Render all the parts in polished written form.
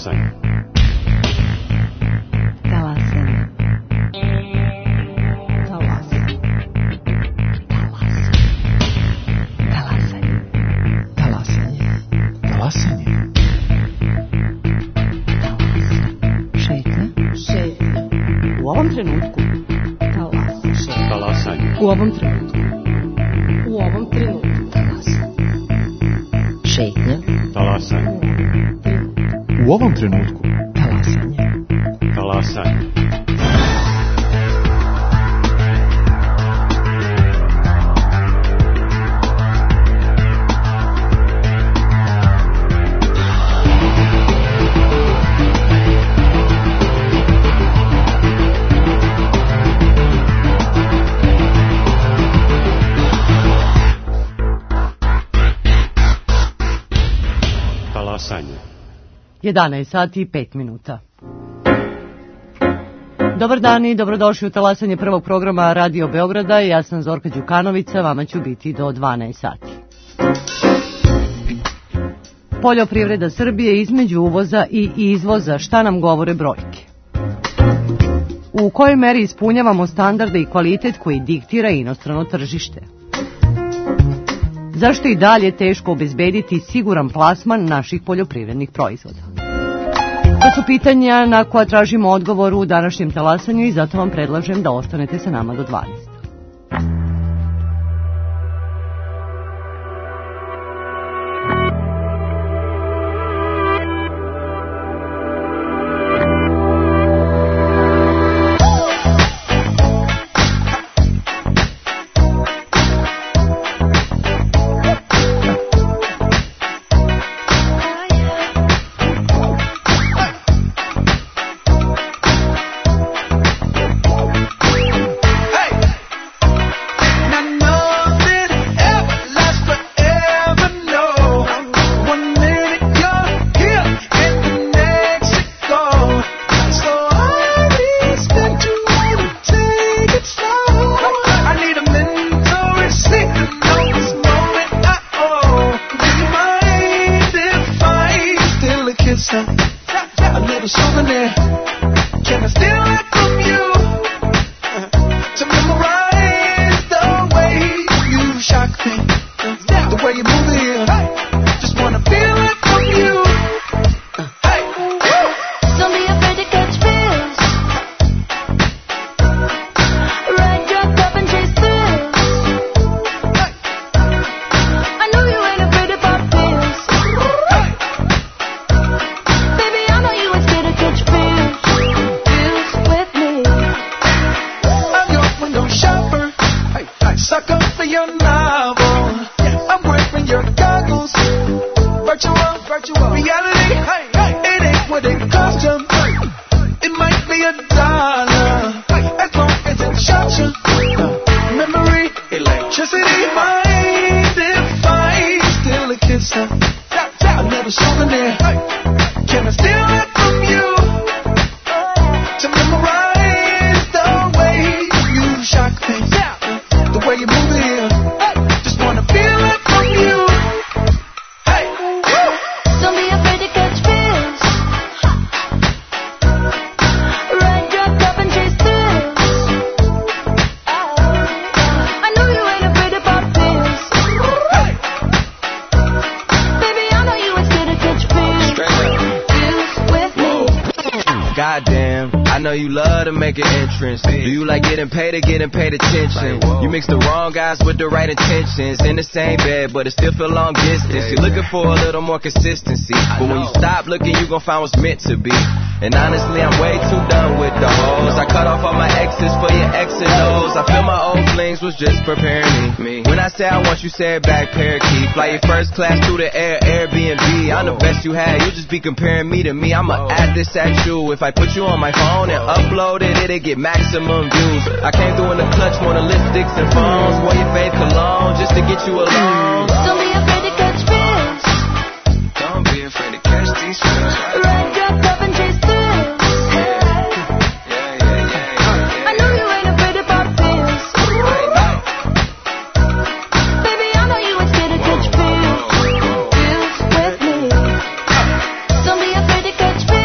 Talasanje. Talasanje. Talasanje. Talasanje. Talasanje. Šetnja. Šetnja. U ovom trenutku. Talasanje. U ovom trenutku. U ovom trenutku. Talasanje. Šetnja. Talasanje. U ovom trenutku. Talasanje. Talasanje. Talasanje. 11 sati i 5 minuta. Dobar dan i dobrodošli u talasanje prvog programa Radio Beograda. Ja sam Zorka Đukanovića, vama ću biti do 12 sati. Poljoprivreda Srbije između uvoza i izvoza, šta nam govore brojke? U kojoj meri ispunjavamo standarde i kvalitet koji diktira inostrano tržište? Zašto i dalje teško obezbediti siguran plasman naših poljoprivrednih proizvoda? To su pitanja na koja tražimo odgovor u današnjem talasanju i zato vam predlažem da ostanete sa nama do 12. You mix the wrong guys with the right intentions in the same bed, but it still feel long distance. You're looking for a little more consistency, but when you stop looking, you gon' find what's meant to be. And honestly, I'm way too done with the hoes. I cut off all my exes for your X and O's. I feel my old flings was just preparing me. When I say I want you, say it back, parakeet. Fly your first class through the air, Airbnb. I'm the best you had, you just be comparing me to me. I'ma add this at you. If I put you on my phone and upload it, it'll get maximum views. I came through in the clutch, more than lipsticks and phones. Wore your fave cologne just to get you alone. Don't be afraid to catch fish. Don't be afraid to catch these fish. Ride your cup and chase thrills. I know you ain't afraid to pop pills. Baby, I know you ain't scared to catch fish. Fish with me. Don't be afraid to catch fish.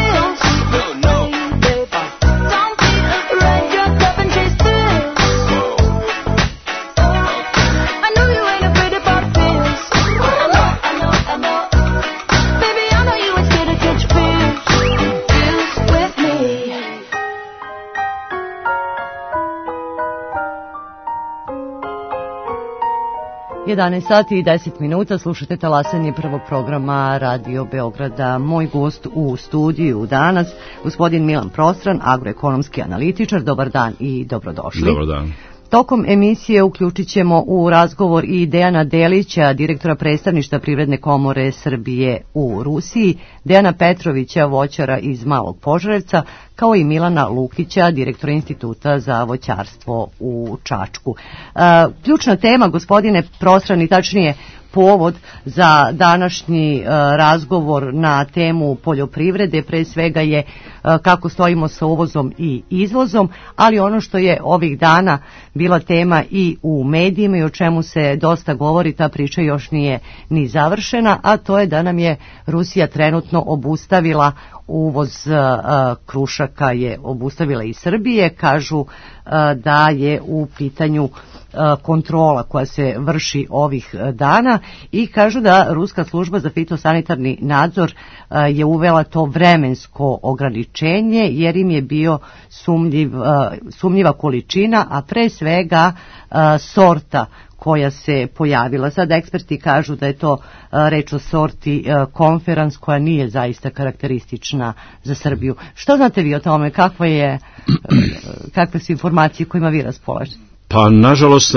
11 sati i 10 minuta, slušate talasanje prvog programa Radio Beograda. Moj gost u studiju danas, gospodin Milan Prostran, agroekonomski analitičar. Dobar dan i dobrodošli. Dobar dan. Tokom emisije uključit ćemo u razgovor i Dejana Delića, direktora predstavništva Privredne komore Srbije u Rusiji, Dejana Petrovića, voćara iz Malog Požarevca, kao i Milana Lukića, direktora Instituta za voćarstvo u Čačku. Ključna tema, gospodine Prostran, tačnije povod za današnji razgovor na temu poljoprivrede pre svega je kako stojimo sa uvozom i izvozom, ali ono što je ovih dana bila tema i u medijima i o čemu se dosta govori, ta priča još nije ni završena, a to je da nam je Rusija trenutno obustavila uvoz krušaka, je obustavila iz Srbije. Kažu da je u pitanju kontrola koja se vrši ovih dana i kažu da Ruska služba za fitosanitarni nadzor je uvela to vremensko ograničenje jer im je bio sumnjiva količina, a pre svega sorta koja se pojavila. Sad eksperti kažu da je to reč o sorti Conference koja nije zaista karakteristična za Srbiju. Što znate vi o tome? Kakve su informacije kojima vi raspolažete? Pa, nažalost,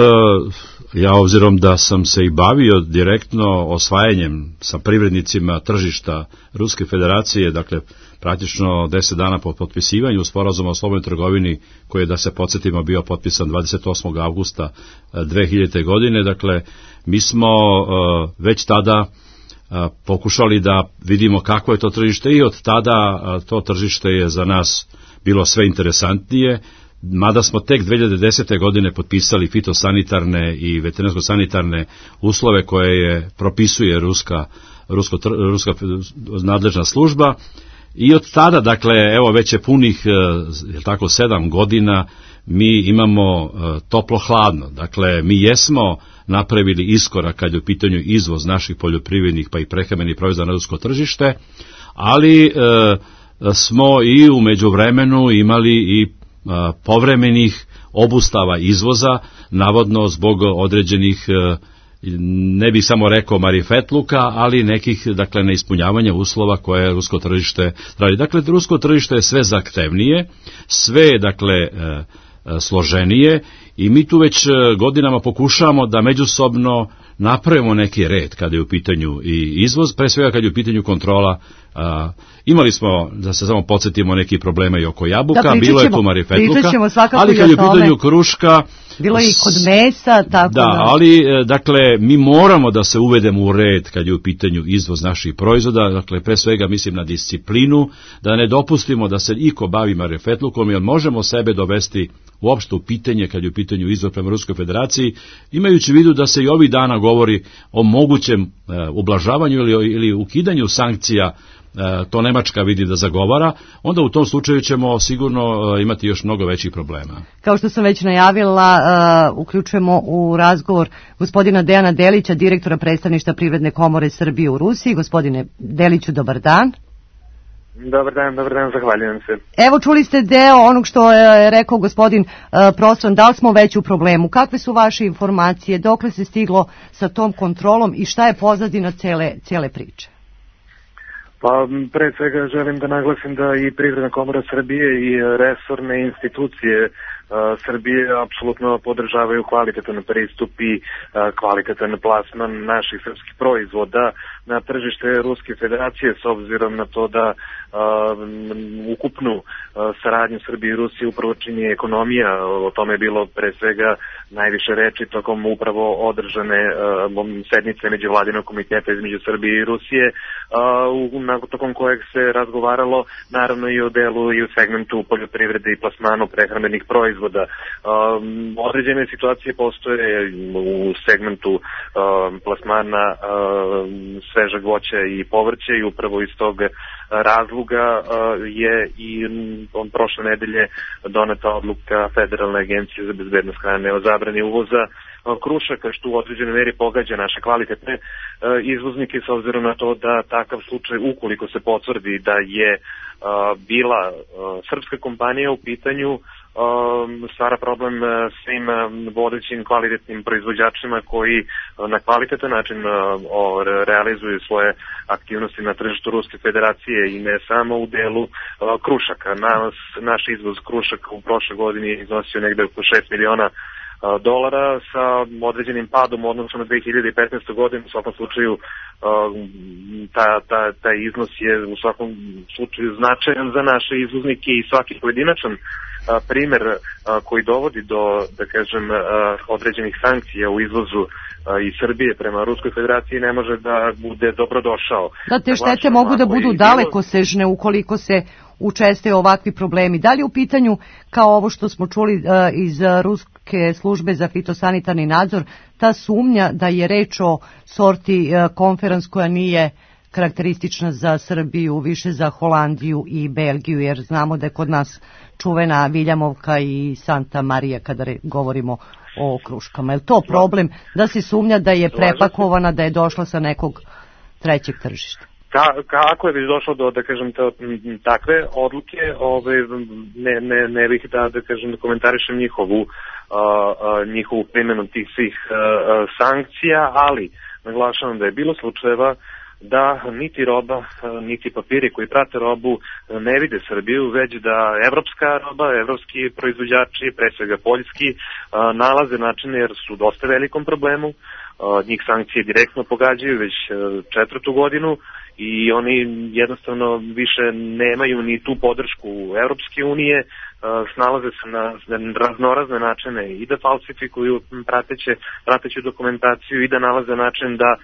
ja obzirom da sam se i bavio direktno osvajanjem sa privrednicima tržišta Ruske federacije, dakle, praktično 10 dana po potpisivanju sporazuma o slobodnoj trgovini, koji je, da se podsjetimo, bio potpisan 28. avgusta 2000. godine, dakle, mi smo već tada pokušali da vidimo kako je to tržište i od tada to tržište je za nas bilo sve interesantnije, mada smo tek 2010. godine potpisali fitosanitarne i veterinarsko-sanitarne uslove koje je propisuje ruska nadležna služba i od tada, dakle, evo već je punih 7 godina mi imamo toplo-hladno, dakle mi jesmo napravili iskorak kad je u pitanju izvoz naših poljoprivrednih pa i prehrambenih proizvoda na rusko tržište, ali smo i u međuvremenu imali i povremenih obustava izvoza, navodno zbog određenih, ne bih samo rekao marifetluka, ali nekih, dakle, neispunjavanja uslova koje rusko tržište radi. Dakle, rusko tržište je sve zahtevnije, sve je, dakle, složenije i mi tu već godinama pokušavamo da međusobno napravimo neki red kada je u pitanju i izvoz, pre svega kad je u pitanju kontrola. Imali smo, da se samo podsjetimo, neki problema i oko jabuka, bilo je tu marifetluka, ali kad je u pitanju kruška, bilo je i kod mesa, tako da. Ali, dakle, mi moramo da se uvedemo u red kad je u pitanju izvoz naših proizvoda, dakle, pre svega mislim na disciplinu, da ne dopustimo da se iko bavi marifetlukom, jer možemo sebe dovesti uopšte u pitanje kad je u pitanju izvoz prema Ruskoj federaciji, imajući u vidu da se i ovih dana govori o mogućem ublažavanju ili ukidanju sankcija, to Nemačka vidi da zagovara, onda u tom slučaju ćemo sigurno imati još mnogo većih problema. Kao što sam već najavila, uključujemo u razgovor gospodina Dejana Delića, direktora predstavništva Privredne komore Srbije u Rusiji. Gospodine Deliću, dobar dan. Dobar dan, zahvaljujem se. Evo, čuli ste deo onog što je rekao gospodin Prostran, da li smo već u problemu, kakve su vaše informacije, dokle se stiglo sa tom kontrolom i šta je pozadina cele priče? Pa, pre svega želim da naglasim da i Privredna komora Srbije i resorne institucije Srbije apsolutno podržavaju kvalitetan pristup i kvalitetan plasman naših srpskih proizvoda na tržište Ruske federacije, s obzirom na to da ukupnu saradnju Srbije i Rusije upravo čini ekonomija. O tome je bilo pre svega najviše reči tokom upravo održane sednice međuvladinog komiteta između Srbije i Rusije, tokom kojeg se razgovaralo naravno i o delu i u segmentu poljoprivrede i plasmanu prehrambenih proizvoda. Određene situacije postoje u segmentu plasmana svežeg voća i povrća i upravo iz tog razloga je i prošle nedelje doneta odluka Federalne agencije za bezbednost hrane o zabrani uvoza krušaka, što u određenoj meri pogađa naše kvalitetne izvoznike, s obzirom na to da takav slučaj, ukoliko se potvrdi da je bila srpska kompanija u pitanju, stvara problem svim vodećim kvalitetnim proizvođačima koji na kvalitetan način realizuju svoje aktivnosti na tržištu Ruske federacije i ne samo u delu krušaka. Naš izvoz krušaka u prošle godini je iznosio negde oko 6 miliona dolara sa određenim padom u odnosu na 2015. godinu. U svakom slučaju taj iznos je u svakom slučaju značajan za naše izvoznike i svaki pojedinačan primer koji dovodi do, da kažem, određenih sankcija u izvozu iz Srbije prema Ruskoj federaciji ne može da bude dobrodošao. Da, te štete mogu da budu dalekosežne ukoliko se učestaju ovakvi problemi. Da li u pitanju, kao ovo što smo čuli iz Ruske službe za fitosanitarni nadzor, ta sumnja da je reč o sorti konferans koja nije karakteristična za Srbiju, više za Holandiju i Belgiju, jer znamo da je kod nas čuvena Viljamovka i Santa Marija kada govorimo o kruškama. Je li to problem da se sumnja da je prepakovana, da je došla sa nekog trećeg tržišta? Kako je već došlo do, da kažem, takve odluke, ne bih da kažem, da komentarišem njihovu primjenu tih svih sankcija, ali naglašavam da je bilo slučajeva da niti roba, niti papiri koji prate robu ne vide Srbiju, već da evropska roba, evropski proizvođači, pre svega poljski, nalaze načine jer su dosta velikom problemu. Njih sankcije direktno pogađaju već 4. godinu i oni jednostavno više nemaju ni tu podršku Evropske unije, snalaze se na raznorazne načine i da falsifikuju prateću dokumentaciju i da nalaze način da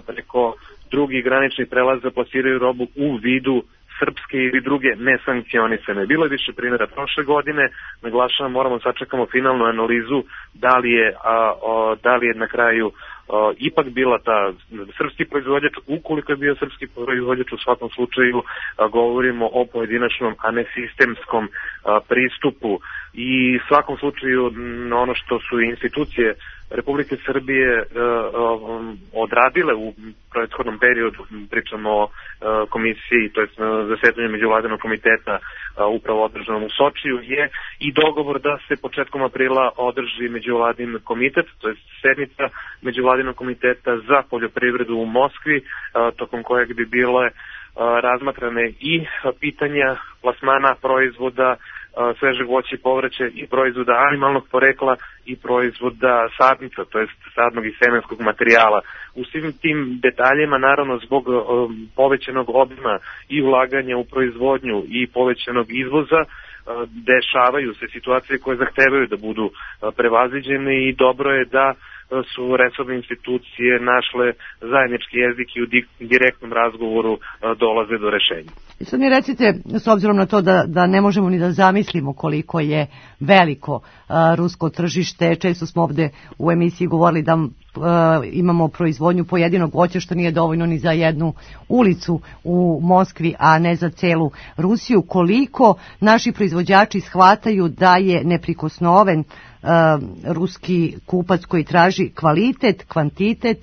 preko drugih graničnih prelaza plasiraju robu u vidu srpske ili druge nesankcionisane. Bilo je više primjera prošle godine, naglašavam, moramo sačekamo finalnu analizu da li je na kraju ipak bila ta srpski proizvođač. Ukoliko je bio srpski proizvođač, u svakom slučaju govorimo o pojedinačnom, a ne sistemskom pristupu. I u svakom slučaju ono što su institucije Republike Srbije odradile u prethodnom periodu, pričamo o komisiji, to je zasedanju međuvladinog komiteta upravo održanom u Sočiju, je i dogovor da se početkom aprila održi međuvladin komitet, to je sednica međuvladinog komiteta za poljoprivredu u Moskvi, tokom kojeg bi bile razmatrane i pitanja plasmana proizvoda svežeg voća i povrća i proizvoda animalnog porekla i proizvoda sadnica, to jest sadnog i semenskog materijala. U svim tim detaljima, naravno, zbog povećanog obima i ulaganja u proizvodnju i povećanog izvoza, dešavaju se situacije koje zahtevaju da budu prevaziđene i dobro je da su resorne institucije našle zajednički jezik i u direktnom razgovoru dolaze do rešenja. I sad mi recite, s obzirom na to da ne možemo ni da zamislimo koliko je veliko rusko tržište, često smo ovde u emisiji govorili da imamo proizvodnju pojedinog voća što nije dovoljno ni za jednu ulicu u Moskvi, a ne za celu Rusiju. Koliko naši proizvođači shvataju da je neprikosnoven ruski kupac koji traži kvalitet, kvantitet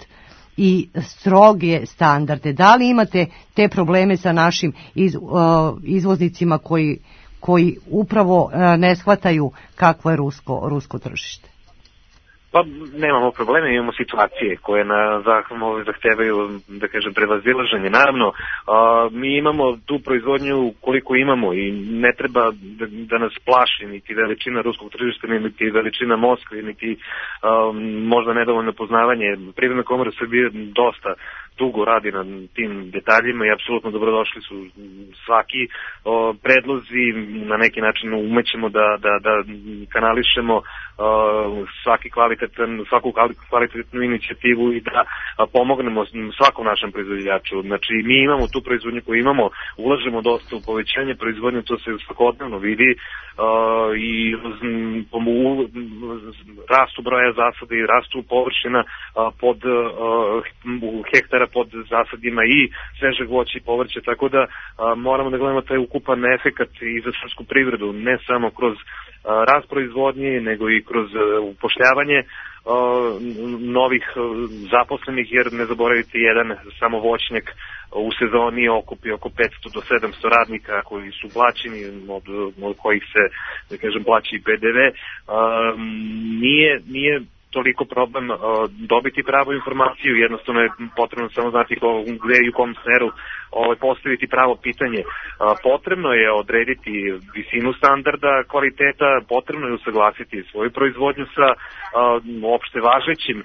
i stroge standarde. Da li imate te probleme sa našim izvoznicima koji upravo ne shvataju kakvo je rusko tržište? Pa nemamo probleme, imamo situacije koje zahtevaju, da kažem, prevazilaženje. Naravno, mi imamo tu proizvodnju koliko imamo i ne treba da nas plaši niti veličina ruskog tržišta, niti veličina Moskve, niti možda nedovoljno poznavanje. Privredna komora Srbije dosta dugo radi na tim detaljima i apsolutno dobrodošli su svaki predlozi, na neki način umećemo da kanališemo svaku kvalitetnu inicijativu i da pomognemo svakom našem proizvođaču. Znači, mi imamo tu proizvodnju koju imamo, ulažemo dosta u povećanje proizvodnje, to se svakodnevno vidi i rastu broja zasada i rastu površina pod hektara pod zasadima i svežeg voća i povrća, tako da moramo da gledamo taj ukupan efekat i za srpsku privredu, ne samo kroz rast proizvodnje, nego i kroz upošljavanje novih zaposlenih, jer ne zaboravite, jedan samo voćnjak u sezoni okupi oko 500 do 700 radnika koji su plaćeni, od kojih se, da kažem, plaća i PDV. Nije toliko problem dobiti pravu informaciju, jednostavno je potrebno samo znati gde i u kom smeru postaviti pravo pitanje. Potrebno je odrediti visinu standarda kvaliteta, potrebno je usaglasiti svoju proizvodnju sa opšte važećim,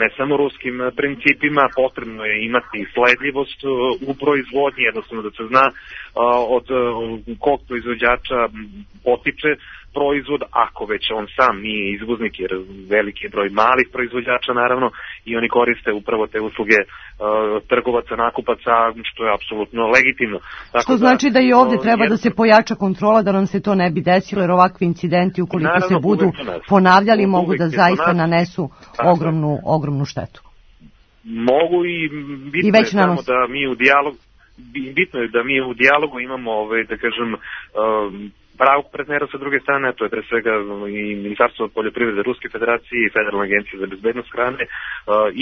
ne samo ruskim principima, potrebno je imati sledljivost u proizvodnji, jednostavno da se zna od kog proizvođača potiče proizvod, ako već on sam nije izvoznik, jer veliki je broj malih proizvođača naravno i oni koriste upravo te usluge trgovaca, nakupaca, što je apsolutno legitimno. Tako što znači da i ovdje treba da se pojača kontrola, da nam se to ne bi desilo, jer ovakvi incidenti, ukoliko naravno, se budu ponavljali, mogu da zaista nanesu ogromnu štetu. Mogu i bitno je samo da mi u dijalogu imamo, da kažem, pravog partnera sa druge strane, to je pre svega i Ministarstvo poljoprivrede Ruske federacije i Federalna agencija za bezbednost hrane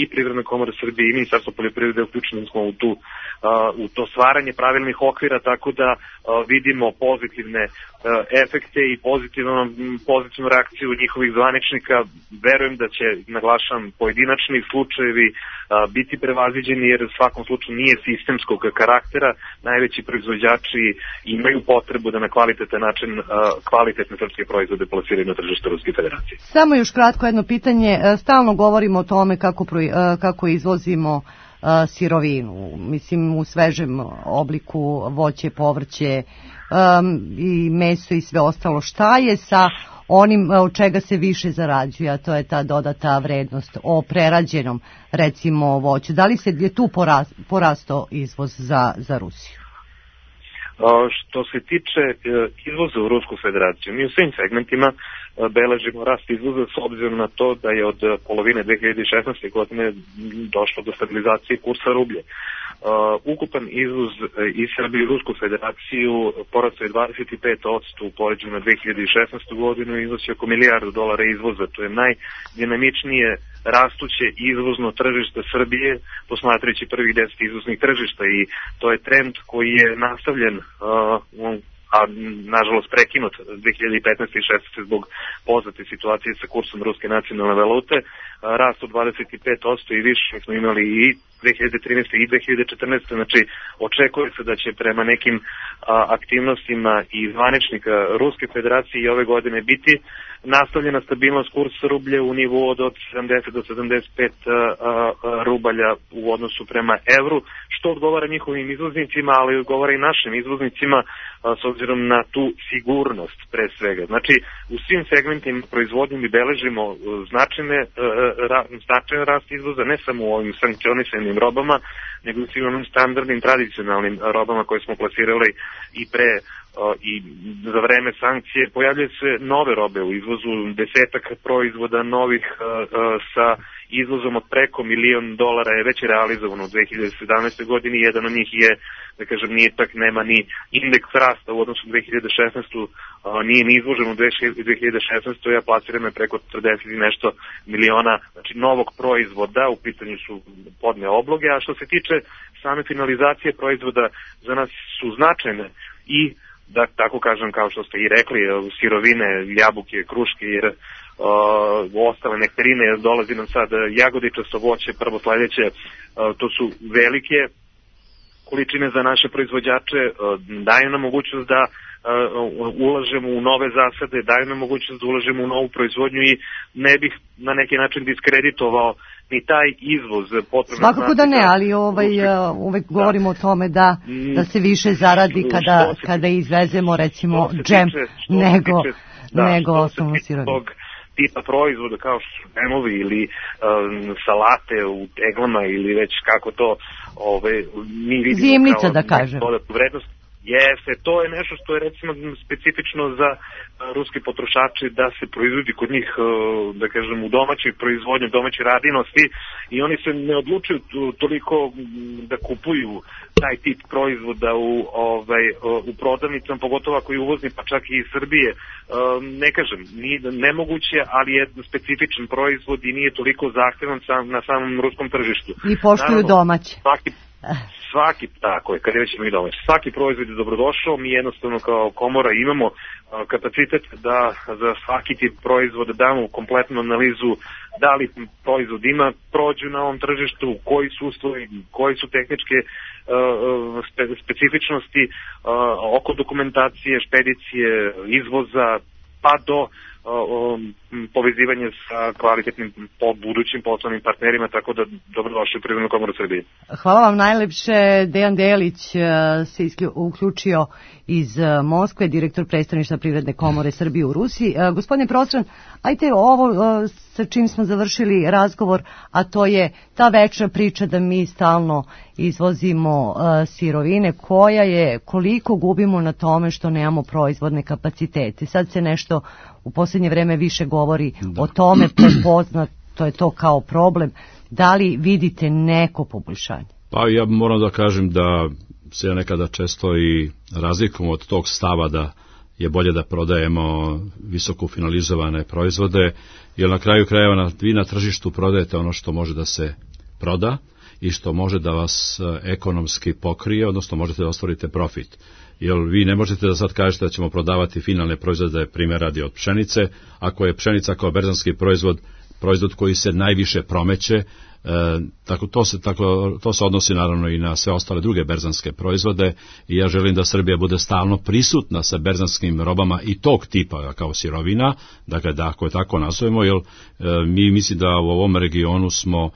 i Privredna komora Srbije i Ministarstvo poljoprivrede. Uključeni smo u to stvaranje pravilnih okvira, tako da vidimo pozitivne efekte i pozitivnu reakciju njihovih zvaničnika. Verujem da će, naglašam, pojedinačni slučajevi biti prevaziđeni, jer u svakom slučaju nije sistemskog karaktera. Najveći proizvođači imaju potrebu da na kvalitetan način kvalitetne srpske proizvode plasiraju na tržište Ruske federacije. Samo još kratko jedno pitanje. Stalno govorimo o tome kako izvozimo sirovinu, mislim u svežem obliku, voće, povrće i meso i sve ostalo. Šta je sa onim od čega se više zarađuje, a to je ta dodata vrednost, o prerađenom, recimo, voću? Da li je tu porastao izvoz za Rusiju? Što se tiče izvoza u Rusku federaciju, mi u svim segmentima beležimo rast izvoza, s obzirom na to da je od polovine 2016. godine došlo do stabilizacije kursa rublje. Ukupan izvoz iz Srbije u Rusku federaciju porastao je 25% u poređenju na 2016. godinu i iznosi oko $1 milijardu izvoza. To je najdinamičnije rastuće izvozno tržište Srbije, posmatrajući prvih 10 izvoznih tržišta, i to je trend koji je nastavljen a nažalost prekinut 2015. i 2016. zbog poznate situacije sa kursom ruske nacionalne valute. Rast od 25% i više smo imali i 2013. i 2014. Znači, očekuje se da će prema nekim aktivnostima i zvaničnika Ruske federacije i ove godine biti nastavljena stabilnost kursa rublje u nivou od 70 do 75 rubalja u odnosu prema evru, što odgovara njihovim izvoznicima, ali odgovara i našim izvoznicima s obzirom na tu sigurnost pre svega. Znači, u svim segmentima proizvodnje mi beležimo značajan rast izvoza, ne samo u ovim sankcionisanim robama, nego i svim onim standardnim tradicionalnim robama koje smo plasirali i pre i za vreme sankcije. Pojavljaju se nove robe u izvozu, desetak proizvoda novih sa izvozom od preko $1 milion je već realizovano u 2017. godini. Jedan od njih je, da kažem, nema ni indeks rasta u odnosu 2016. Nije ni izvožen u 2016. a plasirano je preko 40 i nešto miliona, znači, novog proizvoda. U pitanju su podne obloge, a što se tiče same finalizacije proizvoda, za nas su značajne i, da tako kažem, kao što ste i rekli, sirovine, jabuke, kruške, jer ostale nektarine, dolazi nam sad jagodičasto voće, prvo sledeće, to su velike količine za naše proizvođače, daju nam mogućnost da ulažemo u nove zasade, daju nam mogućnost da ulažemo u novu proizvodnju i ne bih na neki način diskreditovao ni taj izvoz. Svakako da ne, ali uvek govorimo o tome da se više zaradi kada izvezemo, recimo, džem nego osnovnu sirovinu. Tipa proizvoda kao što su džemovi ili salate u teglama ili već kako to mi vidimo zimnica, kao da kažem. dodatnu vrednost. Jeste, to je nešto što je recimo specifično za ruski potrošači, da se proizvodi kod njih, da kažem, u domaćoj proizvodnji, domaćoj radinosti, i oni se ne odlučuju toliko da kupuju taj tip proizvoda u prodavnicama, pogotovo ako je uvozni, pa čak i iz Srbije. Ne kažem, nije nemoguće, ali je specifičan proizvod i nije toliko zahtevan na samom ruskom tržištu. I poštuju domaće. Svaki, tako je, kad je već imamo i domaći, svaki proizvod je dobrodošao. Mi jednostavno kao komora imamo kapacitet da za svaki tip proizvoda damo kompletnu analizu da li proizvod ima prođu na ovom tržištu, koji su uslovi, koji su tehničke specifičnosti oko dokumentacije, špedicije, izvoza, pa do povezivanje sa kvalitetnim budućim poslovnim partnerima, tako da dobrodošli u Privrednu komoru Srbije. Hvala vam najlepše. Dejan Delić se uključio iz Moskve, direktor predstavništva Privredne komore Srbije u Rusiji. Gospodine Prostran, ajte ovo sa čim smo završili razgovor, a to je ta večna priča da mi stalno izvozimo sirovine, koja je koliko gubimo na tome što nemamo proizvodne kapacitete. Sad se nešto u posljednje vreme više govori o tome, prepoznato je to kao problem. Da li vidite neko poboljšanje? Pa ja moram da kažem da se ja nekada često i razlikujem od tog stava da je bolje da prodajemo visoko finalizovane proizvode, jer na kraju krajeva vi na tržištu prodajete ono što može da se proda i što može da vas ekonomski pokrije, odnosno možete da ostvarite profit. Jer vi ne možete da sad kažete da ćemo prodavati finalne proizvode, primjer radi od pšenice, ako je pšenica kao berzanski proizvod koji se najviše promeće, to se odnosi naravno i na sve ostale druge berzanske proizvode, i ja želim da Srbija bude stalno prisutna sa berzanskim robama i tog tipa kao sirovina, dakle da ako je tako nazovemo, jer mi mislim da u ovom regionu smo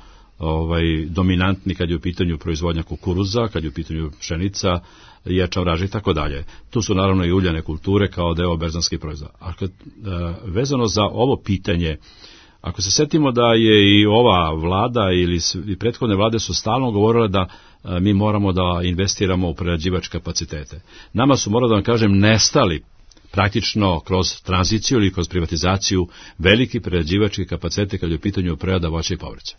dominantni kad je u pitanju proizvodnja kukuruza, kad je u pitanju pšenica, ječam, raž i tako dalje. Tu su naravno i uljane kulture kao deo berzanskih proizvoda. Vezano za ovo pitanje, ako se setimo da je i ova vlada ili prethodne vlade su stalno govorile da mi moramo da investiramo u prerađivačke kapacitete. Nama su, moram da vam kažem, nestali praktično kroz tranziciju ili kroz privatizaciju veliki prerađivački kapacitete kad je u pitanju prerada voća i povrća.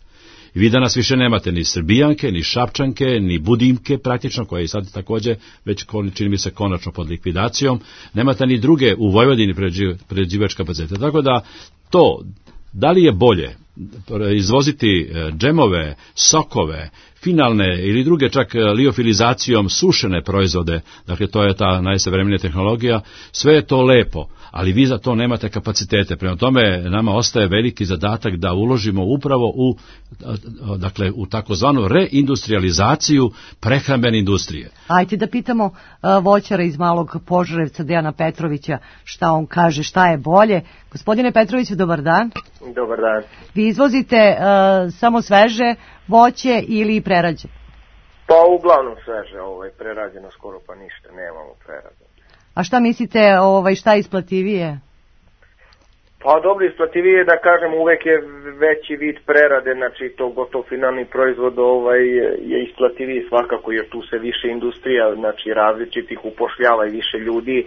I vi danas više nemate ni Srbijanke, ni Šapčanke, ni Budimke praktično, koje je sad također već čini mi se konačno pod likvidacijom. Nemate ni druge u Vojvodini prerađivačke kapacitete. Tako da to, da li je bolje izvoziti džemove, sokove, finalne ili druge čak liofilizacijom sušene proizvode, dakle to je ta najsavremenija tehnologija, sve je to lepo, ali vi za to nemate kapacitete. Prema tome nama ostaje veliki zadatak da uložimo upravo u takozvanu reindustrializaciju prehrambene industrije. Ajde da pitamo voćara iz Malog Požarevca, Dejana Petrovića, šta on kaže, šta je bolje. Gospodine Petroviću, dobar dan. Dobar dan. Vi izvozite samo sveže voće ili prerađeno? Pa uglavnom sveže, prerađeno skoro pa ništa, nemamo prerađeno. A šta mislite, šta je isplativije? Pa dobro, isplativije je da kažem, uvek je veći vid prerade, znači to gotov finalni proizvod je isplativiji svakako, jer tu se više industrija, znači različitih upošljava i više ljudi,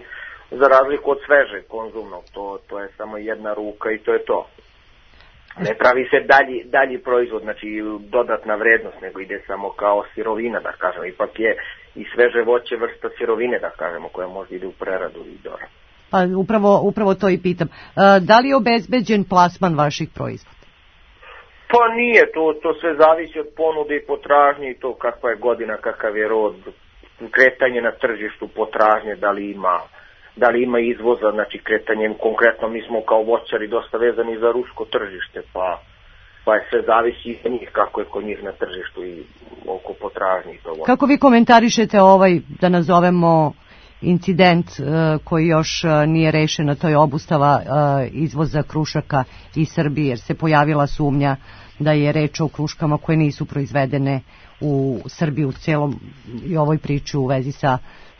za razliku od sveže konzumnog, to je samo jedna ruka i to je to. Ne pravi se dalji proizvod, znači dodatna vrednost, nego ide samo kao sirovina, da kažem. Ipak je i sveže voće vrsta sirovine, da kažemo, koja možda ide u preradu i doradu. Pa upravo to i pitam. Da li je obezbeđen plasman vaših proizvoda? Pa nije, to sve zavisi od ponude i potražnje i to kakva je godina, kakav je rod, kretanje na tržištu, potražnje, da li ima izvoza, znači kretanjem konkretno mi smo kao voćari dosta vezani za rusko tržište, pa je sve zavisi od njih kako je kod njih na tržištu i oko potražnje i to. Kako vi komentarišete da nazovemo incident koji još nije rešen, a to je obustava izvoza krušaka iz Srbije, jer se pojavila sumnja da je reč o kruškama koje nisu proizvedene u Srbiji, u celom i ovoj priči u vezi sa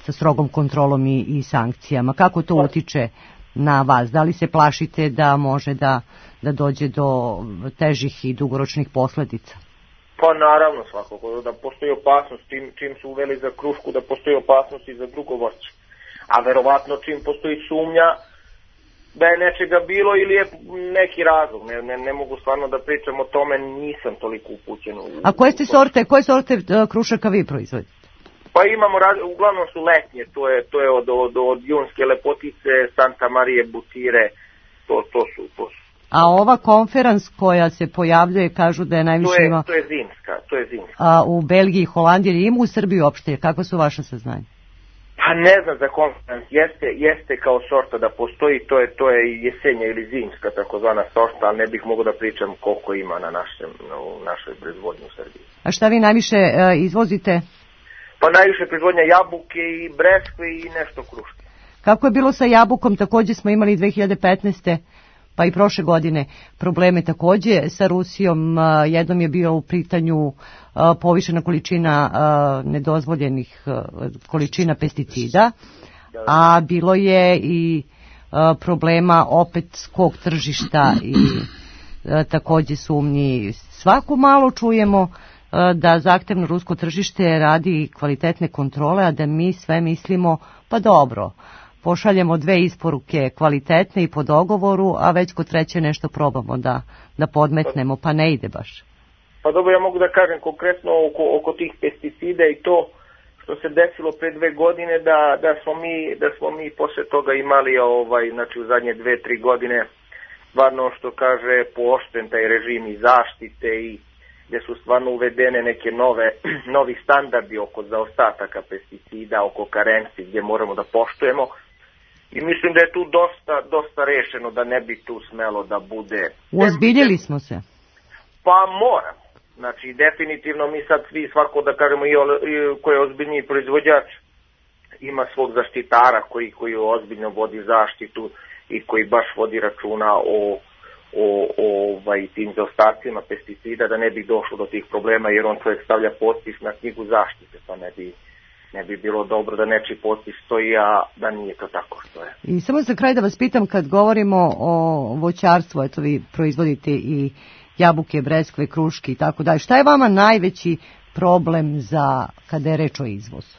strogom kontrolom i sankcijama. Kako to utiče na vas? Da li se plašite da može da dođe do težih i dugoročnih posledica? Pa naravno svakako, da postoji opasnost, čim su uveli za krušku, da postoji opasnost i za drugo voće. A verovatno čim postoji sumnja da je nečega bilo ili je neki razlog, ne mogu stvarno da pričam o tome, nisam toliko upućen. A koje sorte krušaka vi proizvodite? Pa imamo, uglavnom su letnje, to je od Junske lepotice, Santa Marije, Butire, to su. A ova konferans koja se pojavljuje, kažu da je najviše ima... To je zimska. A u Belgiji i Holandiji, ima u Srbiji uopšte, kako su vaše saznanje? Pa ne znam za konferans, jeste kao sorta da postoji, to je jesenja ili zimska takozvana sorta, ali ne bih mogao da pričam koliko ima na našoj proizvodnji u Srbiji. A šta vi najviše izvozite? Pa najviše proizvodnja jabuke i breskve i nešto kruške. Kako je bilo sa jabukom? Takođe smo imali 2015. pa i prošle godine probleme takođe sa Rusijom. Jednom je bio u pitanju povišena količina nedozvoljenih količina pesticida, a bilo je i problema opet skok tržišta i takođe sumnji. Svako malo čujemo da zahtevno rusko tržište radi kvalitetne kontrole, a da mi sve mislimo pa dobro, pošaljemo 2 isporuke kvalitetne i po dogovoru, a već kod treće nešto probamo da podmetnemo, pa ne ide baš. Pa dobro, ja mogu da kažem konkretno oko tih pesticida i to što se desilo pre 2 godine, da smo mi posle toga imali, znači u zadnje 2-3 godine, stvarno što kaže pooštren taj režim i zaštite i gdje su stvarno uvedene neke novi standardi oko zaostataka pesticida, oko karenci gdje moramo da poštujemo. I mislim da je tu dosta rešeno, da ne bi tu smelo da bude... Uozbiljili smo se. Pa moram. Znači, definitivno mi sad svi, svako da kažemo ko je ozbiljniji proizvođač, ima svog zaštitara koji ozbiljno vodi zaštitu i koji baš vodi računa o tim zaostacima pesticida, da ne bi došlo do tih problema, jer on čovjek stavlja potpis na knjigu zaštite, pa ne bi bilo dobro da nečiji potpis stoji, a da nije to tako što je. I samo za kraj da vas pitam, kad govorimo o voćarstvu, eto vi proizvodite i jabuke, breskve, kruške i tako dalje, šta je vama najveći problem kada je reč o izvozu?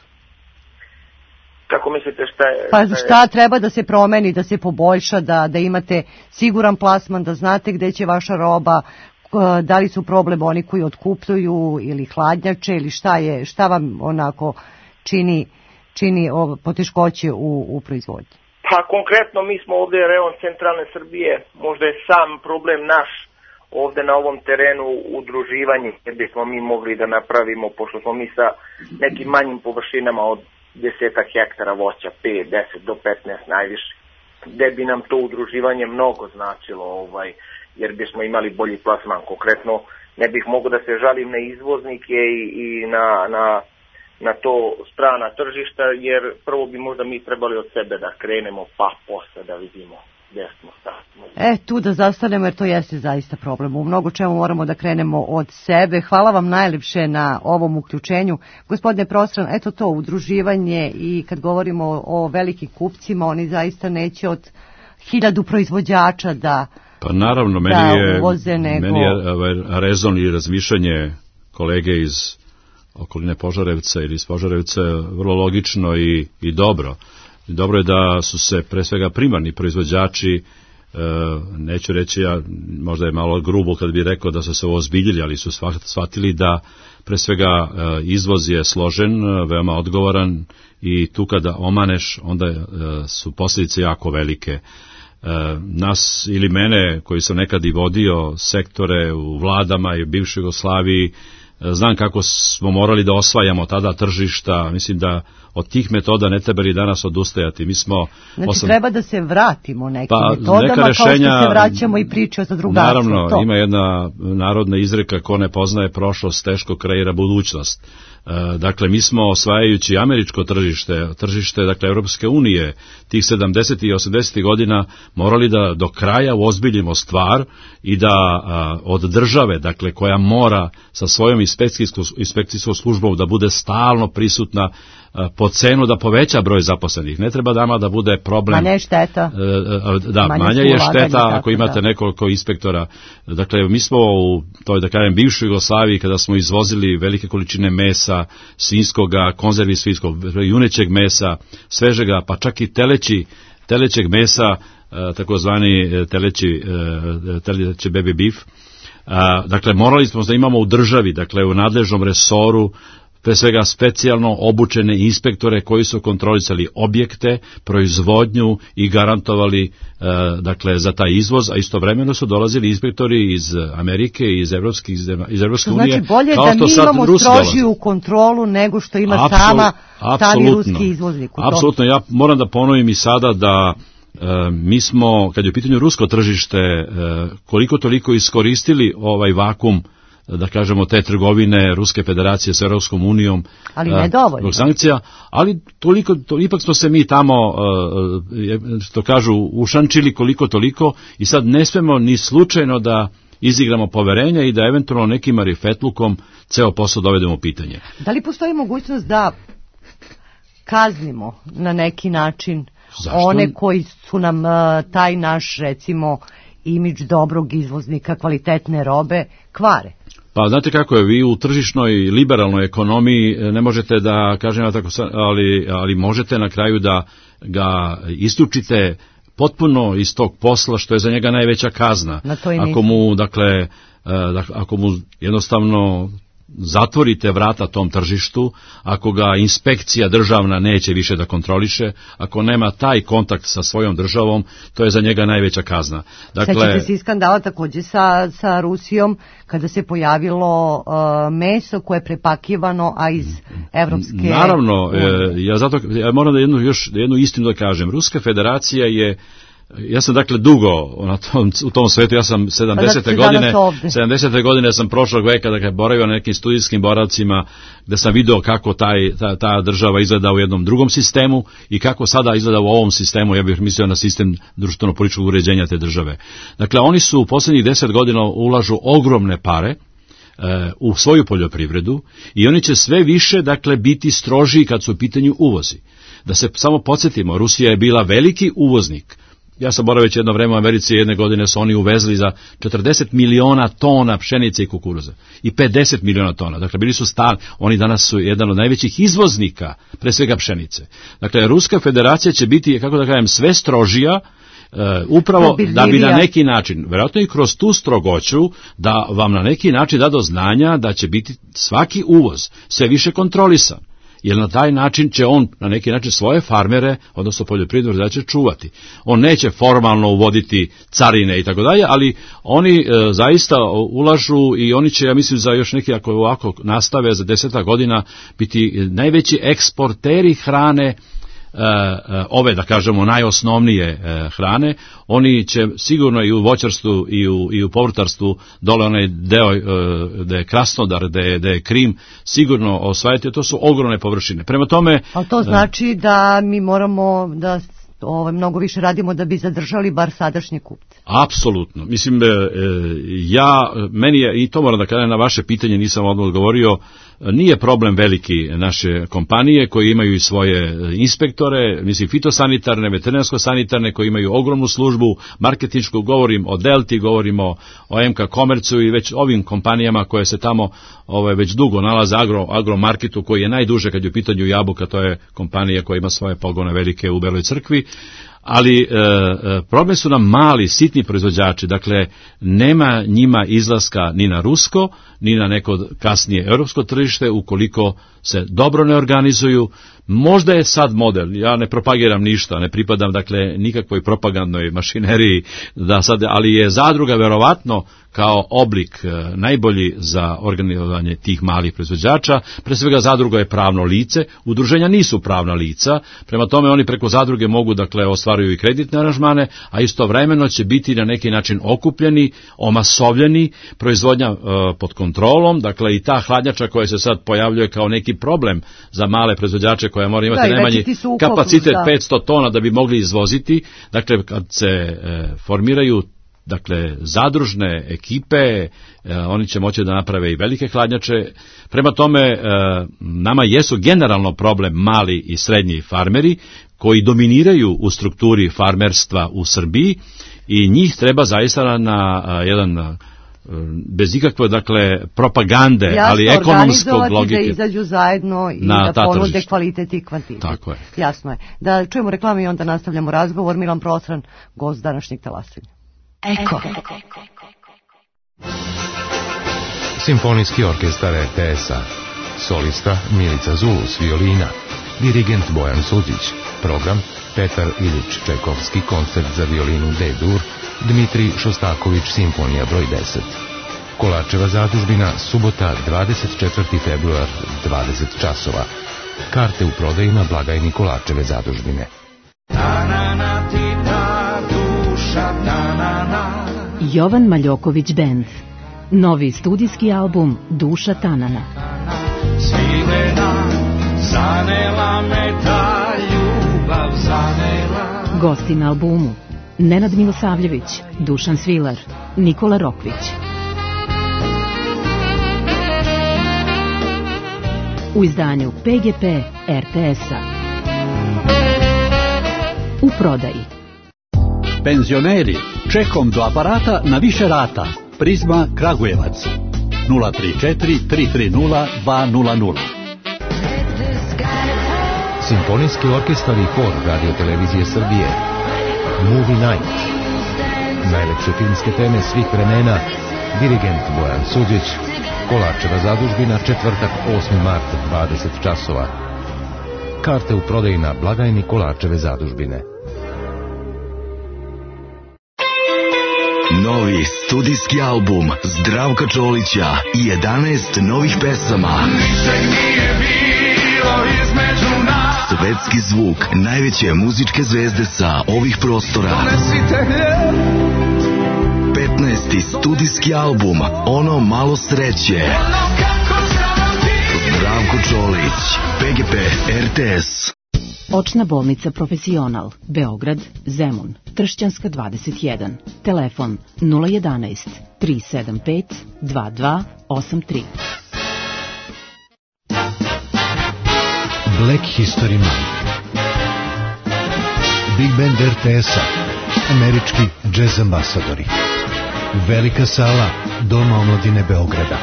Kako mislite šta je? Pa šta treba da se promeni, da se poboljša, da imate siguran plasman, da znate gde će vaša roba, da li su problem oni koji otkupljuju ili hladnjače ili šta vam onako čini poteškoće u proizvodnji? Pa konkretno mi smo ovde reon centralne Srbije, možda je sam problem naš ovde na ovom terenu udruživanje, gdje bismo mi mogli da napravimo, pošto smo mi sa nekim manjim površinama od 10 hektara voća, 5, 10 do 15 najviše, gde bi nam to udruživanje mnogo značilo, jer bismo imali bolji plasman. Konkretno ne bih mogao da se žalim na izvoznike i na to strana tržišta, jer prvo bi možda mi trebali od sebe da krenemo, pa posle da vidimo gdje smo stavili. Tu da zastanemo, jer to jeste zaista problem. U mnogo čemu moramo da krenemo od sebe. Hvala vam najlepše na ovom uključenju. Gospodine Prostran, eto to udruživanje, i kad govorimo o velikim kupcima, oni zaista neće od 1000 proizvođača da pa naravno, uvoze nego... Meni je rezon i razmišljanje kolege iz okoline Požarevca ili iz Požarevca vrlo logično i dobro. Dobro je da su se pre svega primarni proizvođači, neću reći, možda je malo grubo kad bi rekao da su se ozbiljili, ali su shvatili da pre svega izvoz je složen, veoma odgovoran i tu kada omaneš onda su posljedice jako velike. Nas ili mene koji sam nekad i vodio sektore u vladama i u bivšoj Jugoslaviji, znam kako smo morali da osvajamo tada tržišta, mislim da od tih metoda ne treba li danas odustajati. Mi smo treba da se vratimo nekim metodama, kao što se vraćamo i priče o zadrugarstvu. Naravno, ima jedna narodna izreka, ko ne poznaje prošlost, teško kreira budućnost. Dakle, mi smo osvajajući američko tržište, dakle, Europske unije, tih 70. i 80. godina morali da do kraja uozbiljimo stvar i da od države, dakle, koja mora sa svojom inspekcijskom službom da bude stalno prisutna po cenu da poveća broj zaposlenih. Ne treba nama da bude problem. Manja je šteta. Da, manja je šteta ako imate nekoliko inspektora. Dakle, mi smo u toj, da kažem, bivšoj Jugoslaviji, kada smo izvozili velike količine mesa, svinjskoga, konzervi svinjskog, junećeg mesa, svežega, pa čak i telećeg mesa, takozvani teleći baby beef. Dakle, morali smo da imamo u državi, dakle u nadležnom resoru, pre svega specijalno obučene inspektore koji su kontrolisali objekte, proizvodnju i garantovali dakle za taj izvoz, a istovremeno su dolazili inspektori iz Amerike i iz Evropske unije. Znači bolje da mi imamo strožiju kontrolu nego što ima sami ruski izvoznik. Apsolutno, ja moram da ponovim i sada da mi smo, kad je u pitanju rusko tržište, koliko toliko iskoristili ovaj vakum, da kažemo, te trgovine Ruske federacije s Evropskom unijom, ali ne dovoljno sankcija, ali ipak smo se mi tamo, što kažu, ušančili koliko toliko i sad ne smemo ni slučajno da izigramo poverenja i da eventualno nekim marifetlukom ceo posao dovedemo u pitanje. Da li postoji mogućnost da kaznimo na neki način one koji su nam taj naš, recimo, imidž dobrog izvoznika kvalitetne robe kvare? Pa znate kako je, vi u tržišnoj liberalnoj ekonomiji ne možete da, kažem ja tako, ali možete na kraju da ga isključite potpuno iz tog posla, što je za njega najveća kazna. Ako mu jednostavno zatvorite vrata tom tržištu, ako ga inspekcija državna neće više da kontroliše, ako nema taj kontakt sa svojom državom, to je za njega najveća kazna. Sećate se i skandala takođe sa Rusijom, kada se pojavilo meso koje je prepakivano, a iz evropske... Naravno, ja moram da jednu istinu da kažem. Ruska federacija je, ja sam dakle dugo u tom svetu, ja sam 70. godine sam prošlog veka, dakle boravio na nekim studijskim boravcima gde sam video kako ta država izgleda u jednom drugom sistemu i kako sada izgleda u ovom sistemu, ja bih mislio na sistem društveno-političkog uređenja te države. Dakle, oni su u posljednjih 10 godina ulažu ogromne pare u svoju poljoprivredu i oni će sve više, dakle, biti strožiji kad su u pitanju uvozi. Da se samo podsjetimo, Rusija je bila veliki uvoznik. Ja sam boravio jedno vreme u Americi, jedne godine su oni uvezli za 40 miliona tona pšenice i kukuruza i 50 miliona tona. Dakle, bili su oni danas su jedan od najvećih izvoznika, pre svega pšenice. Dakle, Ruska federacija će biti, kako da kažem, sve strožija, upravo da bi na neki način, vjerojatno i kroz tu strogoću, da vam na neki način da do znanja da će biti svaki uvoz sve više kontrolisan. Jer na taj način će on na neki način svoje farmere, odnosno poljoprivredne proizvođače, čuvati. On neće formalno uvoditi carine i tako dalje, ali oni zaista ulažu i oni će, ja mislim, za još neki, ako ovako nastave za 10 godina, biti najveći eksporteri hrane, ove, da kažemo, najosnovnije hrane. Oni će sigurno i u voćarstvu i u povrtarstvu, dole onaj deo da je Krasnodar, da je Krim, sigurno osvajati, to su ogromne površine. Prema tome... Ali to znači da mi moramo da mnogo više radimo da bi zadržali bar sadašnje kupce. Apsolutno. Mislim, meni je, i to moram da kažem, na vaše pitanje nisam odmah odgovorio, nije problem veliki naše kompanije koji imaju i svoje inspektore, mislim fitosanitarne, veterinarsko-sanitarne, koji imaju ogromnu službu, marketinšku, govorim o Delti, govorimo o MK Komercu i već ovim kompanijama koje se tamo već dugo nalaze, Agromarketu, koji je najduže kad je u pitanju jabuka, to je kompanija koja ima svoje pogone velike u Beloj Crkvi. Ali problem su nam mali, sitni proizvođači, dakle nema njima izlaska ni na rusko, ni na neko kasnije europsko tržište ukoliko se dobro ne organizuju. Možda je sad model, ja ne propagiram ništa, ne pripadam dakle nikakvoj propagandnoj mašineriji, ali je zadruga verovatno kao oblik najbolji za organizovanje tih malih proizvođača. Pre svega zadruga je pravno lice, udruženja nisu pravna lica, prema tome oni preko zadruge mogu dakle ostvaruju i kreditne aranžmane, a istovremeno će biti na neki način okupljeni, omasovljeni, proizvodnja pod kontrolom, dakle i ta hladnjača koja se sad pojavljuje kao neki problem za male proizvođače koja mora imati najmanji kapacitet 500 tona da bi mogli izvoziti, dakle kad se formiraju dakle zadružne ekipe, oni će moći da naprave i velike hladnjače. Prema tome, nama jesu generalno problem mali i srednji farmeri koji dominiraju u strukturi farmerstva u Srbiji i njih treba zaista na jedan bez ikakve, dakle, propagande, ali ekonomskog logike. Da izađu zajedno i da ponude kvalitet i kvantitet. Tako je. Jasno je. Da čujemo reklamu i onda nastavljamo razgovor. Milan Prostran, gost današnjeg talasanja. Eko. Simfonijski orkestar RTS-a. Solista Milica Zulus, violina. Dirigent Bojan Sudzić. Program Petar Ilić Čekovski, koncert za violinu D-dur. Dmitrij Šostaković, simfonija broj 10. Kolačeva zadužbina, subota 24. februar, 20 časova. Karte u prodaji na blagajni Kolačeve zadužbine. Jovan Maljoković Band. Novi studijski album Duša Tanana. Gosti na albumu Nenad Milosavljević, Dušan Svilar, Nikola Rokvić. U izdanju PGP RTS-a. U prodaji. Penzioneri, čekom do aparata na više rata. Prizma Kragujevac 034 330 200. Simfonijski orkestar i hor Radio Televizije Srbije. Movie Night. Najlepše filmske teme svih vremena. Dirigent Bojan Sudzić. Kolačeva zadužbina, četvrtak 8. mart, 20 časova. Karte u prodaji na blagajni Kolačeve zadužbine. Novi studijski album Zdravka Čolića i 11 novih pesama. Svetski zvuk najveće muzičke zvezde sa ovih prostora. 15. studijski album Ono malo sreće. Zdravko Čolić, PGP RTS. Očna bolnica Profesional, Beograd, Zemun, Tršćanska 21, telefon 011 375 2283. Black History Month. Big Band RTS-a, američki džez ambasadori. Velika sala Doma omladine Beograda.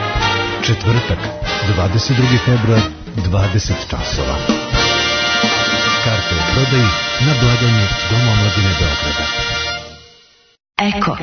Četvrtak, 22. februar, 20 časova. Karte u prodaji na blagajni Doma omladine Beograda. Eko.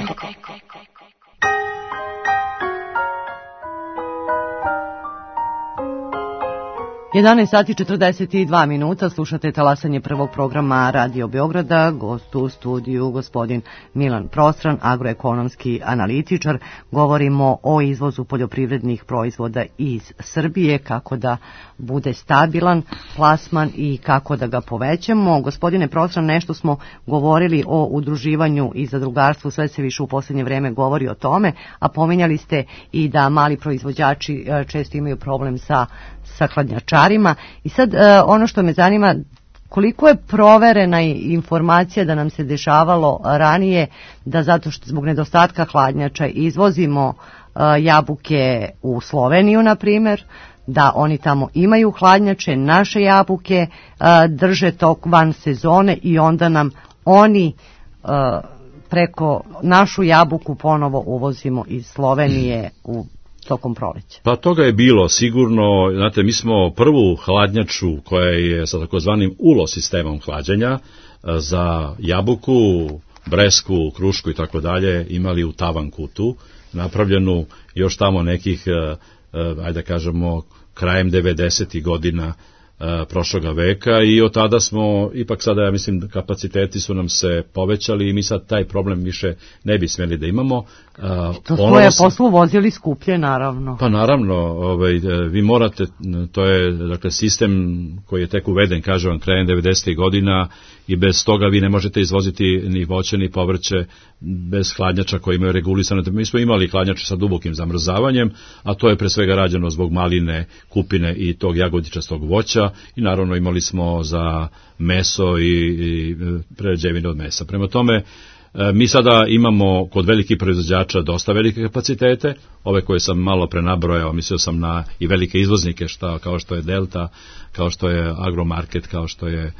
11 sati 42 minuta, slušate talasanje prvog programa Radio Beograda, gost u studiju gospodin Milan Prostran, agroekonomski analitičar. Govorimo o izvozu poljoprivrednih proizvoda iz Srbije, kako da bude stabilan plasman i kako da ga povećamo. Gospodine Prostran, nešto smo govorili o udruživanju i zadrugarstvu, sve se više u posljednje vreme govori o tome, a pominjali ste i da mali proizvođači često imaju problem sa hladnjačarima. I sad ono što me zanima, koliko je proverena informacija da nam se dešavalo ranije da zato što zbog nedostatka hladnjača izvozimo jabuke u Sloveniju, na primjer, da oni tamo imaju hladnjače, naše jabuke drže tok van sezone i onda nam oni preko našu jabuku ponovo uvozimo iz Slovenije u tokom proleća. Pa toga je bilo sigurno. Znate, mi smo prvu hladnjaču koja je sa takozvanim ULO sistemom hlađenja za jabuku, bresku, krušku i tako dalje imali u Tavankutu, napravljenu još tamo nekih, ajde da kažemo, krajem 90. godina prošloga veka i od tada smo, ipak sada ja mislim kapaciteti su nam se povećali i mi sad taj problem više ne bi smjeli da imamo. To svoje poslu vozili skuplje, naravno. Pa naravno, vi morate, to je dakle sistem koji je tek uveden, kažem vam, krajem 90. godina i bez toga vi ne možete izvoziti ni voće ni povrće bez hladnjača koji imaju regulisane. Mi smo imali hladnjače sa dubokim zamrzavanjem, a to je pre svega rađeno zbog maline, kupine i tog jagodičastog voća i naravno imali smo za meso i prerađevine od mesa. Prema tome, Mi sada imamo kod velikih proizvođača dosta velike kapacitete, ove koje sam malo prenabrojao, mislio sam na i velike izvoznike, kao što je Delta, kao što je Agromarket, kao što je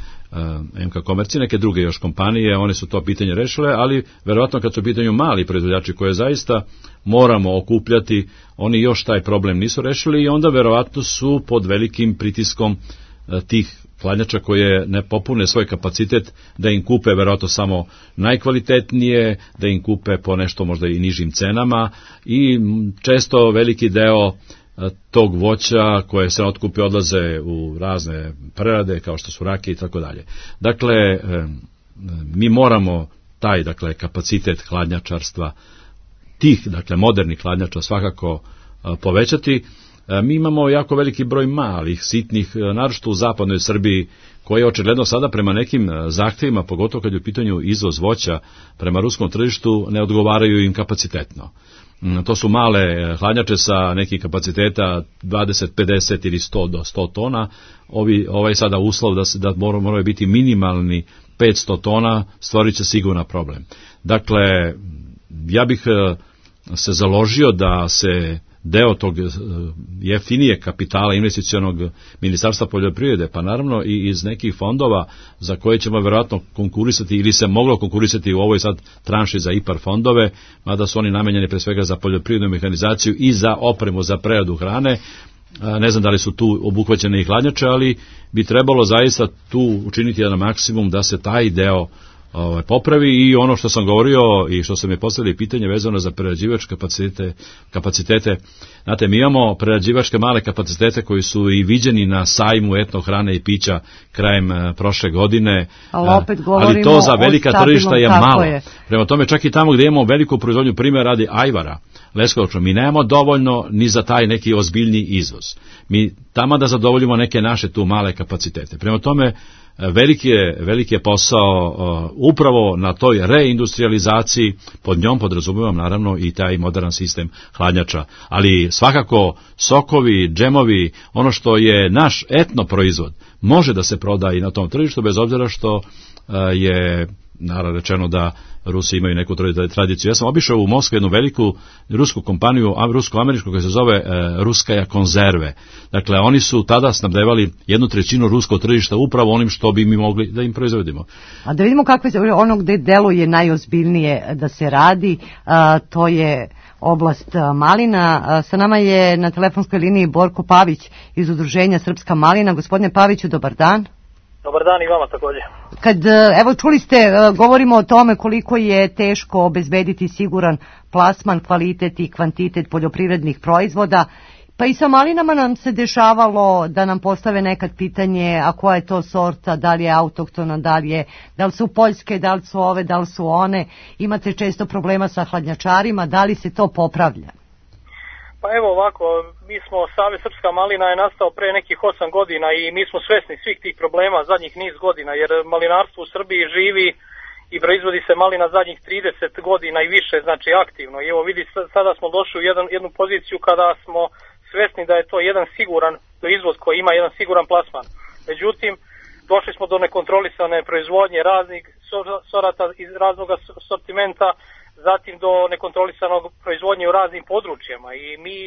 MK Komerci, neke druge još kompanije, one su to pitanje rešile, ali verovatno kad su u pitanju mali proizvođači koje zaista moramo okupljati, oni još taj problem nisu rešili i onda verovatno su pod velikim pritiskom tih hladnjača koje ne popune svoj kapacitet da im kupe verovatno samo najkvalitetnije, da im kupe po nešto možda i nižim cenama i često veliki deo tog voća koje se otkupe odlaze u razne prerade kao što su rakije i tako dalje. Dakle, mi moramo taj kapacitet hladnjačarstva, tih modernih hladnjača svakako povećati. Mi imamo jako veliki broj malih, sitnih, naročito u zapadnoj Srbiji, koje očigledno sada prema nekim zahtevima, pogotovo kad je u pitanju izvoz voća prema ruskom tržištu, ne odgovaraju im kapacitetno. To su male hladnjače sa nekih kapaciteta 20, 50 ili 100 do 100 tona. Ovaj sada uslov da moraju biti minimalni 500 tona, stvorit će sigurno problem. Dakle, ja bih se založio da se deo tog jeftinije kapitala investicionog Ministarstva poljoprivrede, pa naravno i iz nekih fondova za koje ćemo verovatno konkurisati ili se moglo konkurisati u ovoj sad tranši za IPAR fondove, mada su oni namenjeni pre svega za poljoprivrednu mehanizaciju i za opremu za preradu hrane. Ne znam da li su tu obuhvaćene i hladnjače, ali bi trebalo zaista tu učiniti jedan maksimum da se taj deo popravi i ono što sam govorio i što sam je postavili pitanje vezano za prerađivačke kapacitete. Znate, mi imamo prerađivačke male kapacitete koji su i viđeni na sajmu etno hrane i pića krajem prošle godine, ali to za velika tržišta je malo. Prema tome, čak i tamo gdje imamo veliku proizvodnju, primjer radi ajvara, Leskovača, mi nemamo dovoljno ni za taj neki ozbiljni izvoz. Mi tamo da zadovoljimo neke naše tu male kapacitete. Prema tome, veliki je posao upravo na toj reindustrializaciji, pod njom podrazumijevam naravno i taj modern sistem hladnjača, ali svakako sokovi, džemovi, ono što je naš etno proizvod, može da se proda i na tom tržištu, bez obzira što je naravno rečeno da Rusi imaju neku tradiciju. Ja sam obišao u Moskvu jednu veliku rusku kompaniju, rusko-američku, koja se zove Ruskaja konzerve. Dakle, oni su tada snabdevali 1/3 ruskog tržišta upravo onim što bi mi mogli da im proizvodimo. A da vidimo kakve ono gde deluje najozbiljnije da se radi, to je oblast malina. Sa nama je na telefonskoj liniji Borko Pavić iz Udruženja Srpska malina. Gospodine Paviću, dobar dan. Dobar dan i vama također. Evo čuli ste, govorimo o tome koliko je teško obezbediti siguran plasman, kvalitet i kvantitet poljoprivrednih proizvoda, pa i sa malinama nam se dešavalo da nam postave nekad pitanje, a koja je to sorta, da li je autoktona, da li su poljske, da li su ove, da li su one, imate često problema sa hladnjačarima, da li se to popravlja? Pa evo ovako, mi smo, Savez Srpska malina je nastao pre nekih 8 godina i mi smo svesni svih tih problema zadnjih niz godina, jer malinarstvo u Srbiji živi i proizvodi se malina zadnjih 30 godina i više, znači aktivno. I evo vidi, sada smo došli u jednu poziciju kada smo svesni da je to jedan siguran izvoz koji ima jedan siguran plasman. Međutim, došli smo do nekontrolisane proizvodnje raznih sorata iz raznog sortimenta, zatim do nekontrolisanog proizvodnje u raznim područjima i mi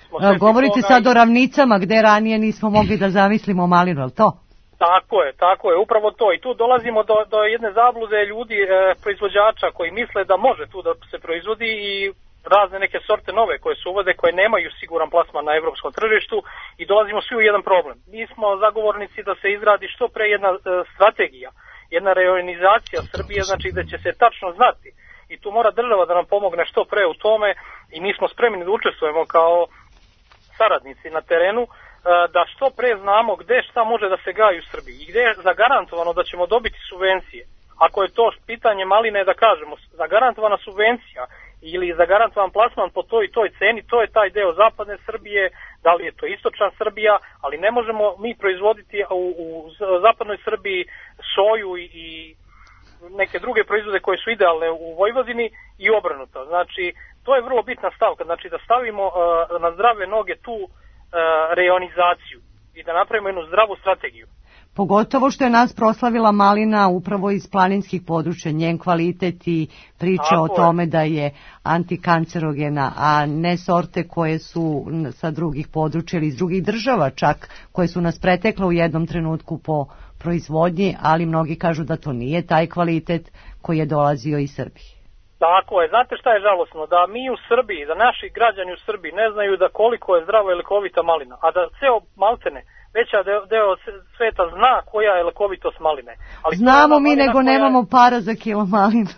smo govorite sad o ravnicama gde ranije nismo mogli da zamislimo malinu, ali to? Tako je, upravo to. I tu dolazimo do jedne zablude ljudi, proizvođača koji misle da može tu da se proizvodi i razne neke sorte nove koje se uvode, koje nemaju siguran plasman na evropskom tržištu i dolazimo svi u jedan problem. Mi smo zagovornici da se izradi što pre jedna strategija, jedna reorganizacija Srbije, znači da će se tačno znati. I tu mora država da nam pomogne što pre u tome i mi smo spremni da učestvujemo kao saradnici na terenu, da što pre znamo gde šta može da se gaji u Srbiji i gde je zagarantovano da ćemo dobiti subvencije. Ako je to pitanje maline, da kažemo, zagarantovana subvencija ili zagarantovan plasman po toj i toj ceni, to je taj deo zapadne Srbije, da li je to istočna Srbija, ali ne možemo mi proizvoditi u zapadnoj Srbiji soju i neke druge proizvode koje su idealne u Vojvodini i obrnuto. Znači, to je vrlo bitna stavka, znači da stavimo na zdrave noge tu reonizaciju i da napravimo jednu zdravu strategiju. Pogotovo što je nas proslavila malina upravo iz planinskih područja, njen kvalitet i priče o tome da je antikancerogena, a ne sorte koje su sa drugih područja ili iz drugih država čak, koje su nas pretekle u jednom trenutku po proizvodnji, ali mnogi kažu da to nije taj kvalitet koji je dolazio iz Srbije. Tako je, znate šta je žalosno? Da mi u Srbiji, da naši građani u Srbiji ne znaju da koliko je zdrava i lekovita malina, a da ceo maltene, veća deo sveta zna koja je lekovitost maline. Ali znamo mi, nego nemamo para za kilo malina.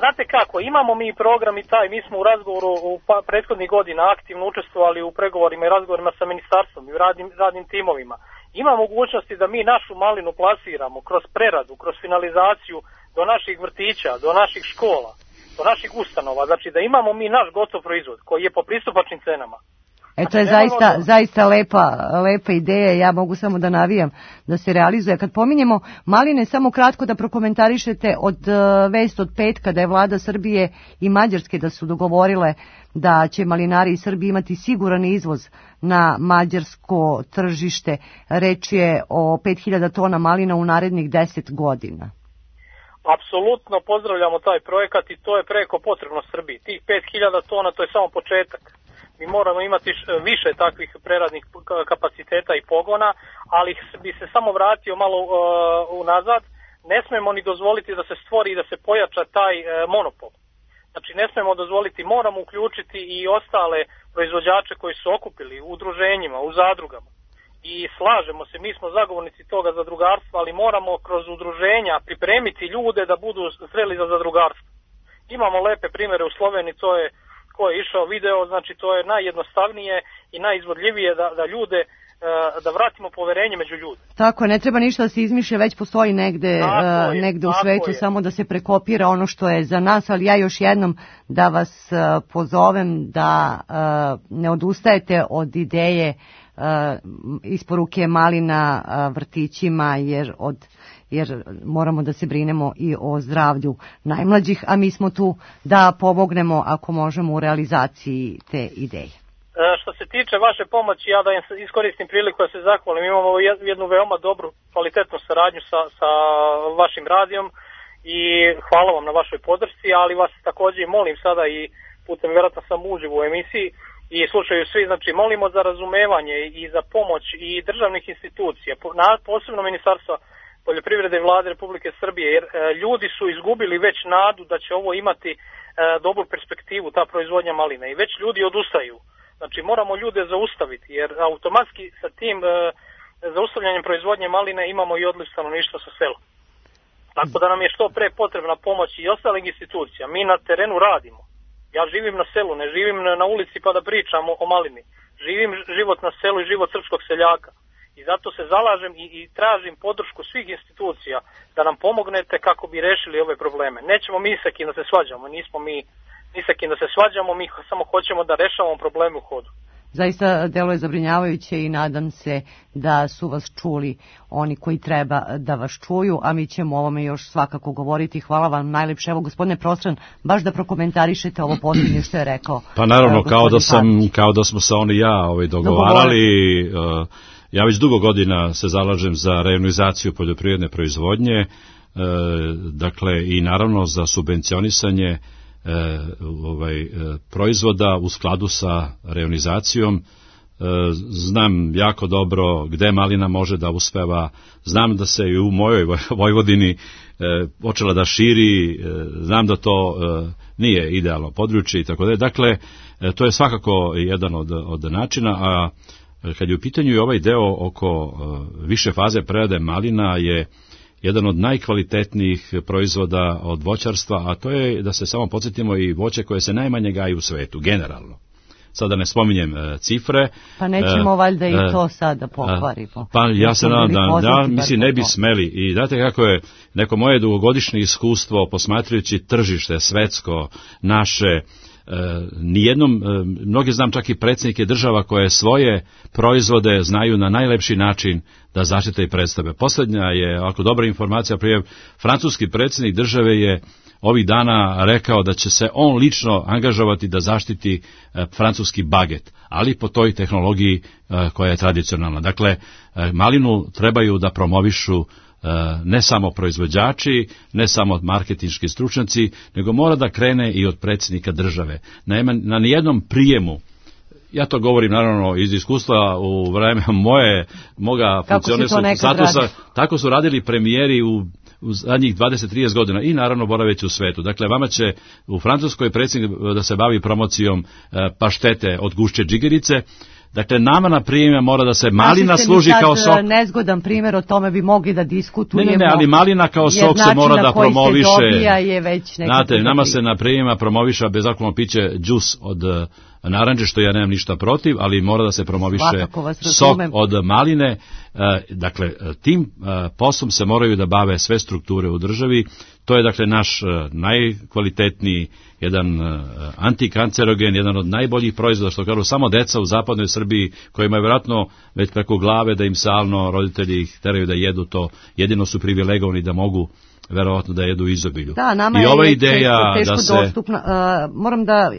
Znate kako, imamo mi program i taj, mi smo u razgovoru u prethodnih godina aktivno učestvovali u pregovorima i razgovorima sa ministarstvom i u radnim timovima. Ima mogućnosti da mi našu malinu plasiramo kroz preradu, kroz finalizaciju do naših vrtića, do naših škola, do naših ustanova, znači da imamo mi naš gotov proizvod koji je po pristupačnim cenama. To je zaista lepa ideja, ja mogu samo da navijam da se realizuje. Kad pominjemo maline, samo kratko da prokomentarišete vest od petka da je vlada Srbije i Mađarske da su dogovorile da će malinari iz Srbije imati siguran izvoz na mađarsko tržište. Reč je o 5000 tona malina u narednih 10 godina. Apsolutno pozdravljamo taj projekat i to je preko potrebno Srbiji. Tih 5000 tona to je samo početak. Mi moramo imati više takvih preradnih kapaciteta i pogona, ali bi se samo vratio malo unazad. Ne smemo ni dozvoliti da se stvori i da se pojača taj monopol. Znači ne smemo dozvoliti, moramo uključiti i ostale proizvođače koji su okupili u udruženjima, u zadrugama. I slažemo se, mi smo zagovornici toga zadrugarstva, ali moramo kroz udruženja pripremiti ljude da budu zreli za zadrugarstvo. Imamo lepe primjere u Sloveniji, to je ko je išao video, znači to je najjednostavnije i najizvodljivije da ljude, da vratimo poverenje među ljude. Tako, ne treba ništa da se izmišlja, već postoji negde u svetu, samo da se prekopira ono što je za nas, ali ja još jednom da vas pozovem da ne odustajete od ideje isporuke malina vrtićima, jer moramo da se brinemo i o zdravlju najmlađih, a mi smo tu da pomognemo ako možemo u realizaciji te ideje. Što se tiče vaše pomoći, ja da iskoristim priliku da se zahvalim. Imamo jednu veoma dobru, kvalitetnu saradnju sa vašim radijom i hvala vam na vašoj podršci, ali vas također molim sada i putem, vjerojatno sam uživo u emisiji i slušaju svi, znači molimo za razumevanje i za pomoć i državnih institucija, posebno Ministarstva poljoprivrede i Vlade Republike Srbije, jer ljudi su izgubili već nadu da će ovo imati dobru perspektivu, ta proizvodnja maline, i već ljudi odustaju. Znači moramo ljude zaustaviti, jer automatski sa tim zaustavljanjem proizvodnje maline imamo i odliv stanovništva sa sela. Tako da nam je što pre potrebna pomoć i ostalih institucija. Mi na terenu radimo. Ja živim na selu, ne živim na ulici pa da pričam o malini. Živim život na selu i život srpskog seljaka. I zato se zalažem i tražim podršku svih institucija da nam pomognete kako bi rešili ove probleme. Nećemo mi sa kim da se svađamo, nismo mi ni sa kim da se svađamo, mi samo hoćemo da rešavamo probleme u hodu. Zaista deluje zabrinjavajuće i nadam se da su vas čuli oni koji treba da vas čuju, a mi ćemo o ovome još svakako govoriti. Hvala vam najlepše. Evo, gospodine Prostran, baš da prokomentarišete ovo posljednje što je rekao. Pa naravno, kao da smo se oni dogovarali. Ja već dugo godina se zalažem za reonizaciju poljoprivredne proizvodnje, dakle i naravno za subvencionisanje proizvoda u skladu sa reonizacijom. Znam jako dobro gde malina može da uspeva, znam da se i u mojoj Vojvodini počela da širi, znam da to nije idealno područje i tako da. Dakle, to je svakako jedan od načina, a kad je u pitanju i ovaj deo oko više faze prerade malina je jedan od najkvalitetnijih proizvoda od voćarstva, a to je, da se samo podsjetimo, i voće koje se najmanje gaji u svetu, generalno. Sada ne spominjem cifre. Pa nećemo valjda i to sada pokvarimo. Pa ja se nadam da mislim ne bi smeli. I znate kako je neko moje dugogodišnje iskustvo posmatrajući tržište svetsko, naše, nijednom, mnogi znam čak i predsjednike država koje svoje proizvode znaju na najlepši način da zaštite i predstave. Posljednja je, ako dobra informacija, prije francuski predsjednik države je ovih dana rekao da će se on lično angažovati da zaštiti francuski baget, ali po toj tehnologiji koja je tradicionalna. Dakle, malinu trebaju da promovišu ne samo proizvođači, ne samo marketinški stručnjaci, nego mora da krene i od predsjednika države. Na nijednom prijemu, ja to govorim naravno iz iskustva u vreme moga funkcionerskog statusa, tako su radili premijeri u zadnjih 20-30 godina i naravno boraveći u svetu. Dakle, vama će u Francuskoj predsjednik da se bavi promocijom paštete od gušće džigerice. Dakle, nama na prijeme mora da se malina služi kao sok. Nezgodan primjer, o tome bi mogli da diskutujemo. Ne, ali malina kao sok se mora da promoviše. Je već znate, nama se na prijema promoviša bezalkoholno piće džus od naranđe, što ja nemam ništa protiv, ali mora da se promoviše sok od maline. Dakle, tim poslom se moraju da bave sve strukture u državi. To je, dakle, naš najkvalitetniji, jedan antikancerogen, jedan od najboljih proizvoda, što kažu samo deca u zapadnoj Srbiji, koji imaju vjerojatno već preko glave da im salno roditelji ih teraju da jedu to. Jedino su privilegovani da mogu verovatno da jedu izobilju. Da, nama i ova je ideja teško da se dostupna. Moram da